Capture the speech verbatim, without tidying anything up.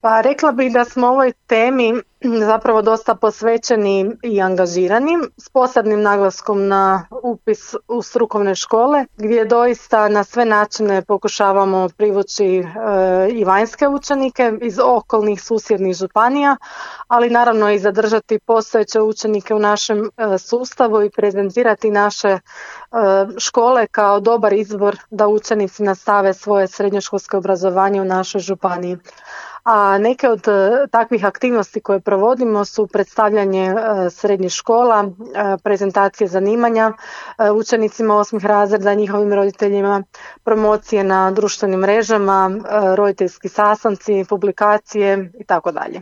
Pa rekla bih da smo ovoj temi zapravo dosta posvećeni i angažirani, s posebnim naglaskom na upis u strukovne škole, gdje doista na sve načine pokušavamo privući e, i vanjske učenike iz okolnih susjednih županija, ali naravno i zadržati postojeće učenike u našem e, sustavu i prezentirati naše e, škole kao dobar izbor da učenici nastave svoje srednjoškolsko obrazovanje u našoj županiji. A neke od e, takvih aktivnosti koje provodimo su predstavljanje e, srednjih škola, e, prezentacije zanimanja e, učenicima osmih razreda, njihovim roditeljima, promocije na društvenim mrežama, e, roditeljski sastanci, publikacije i tako dalje.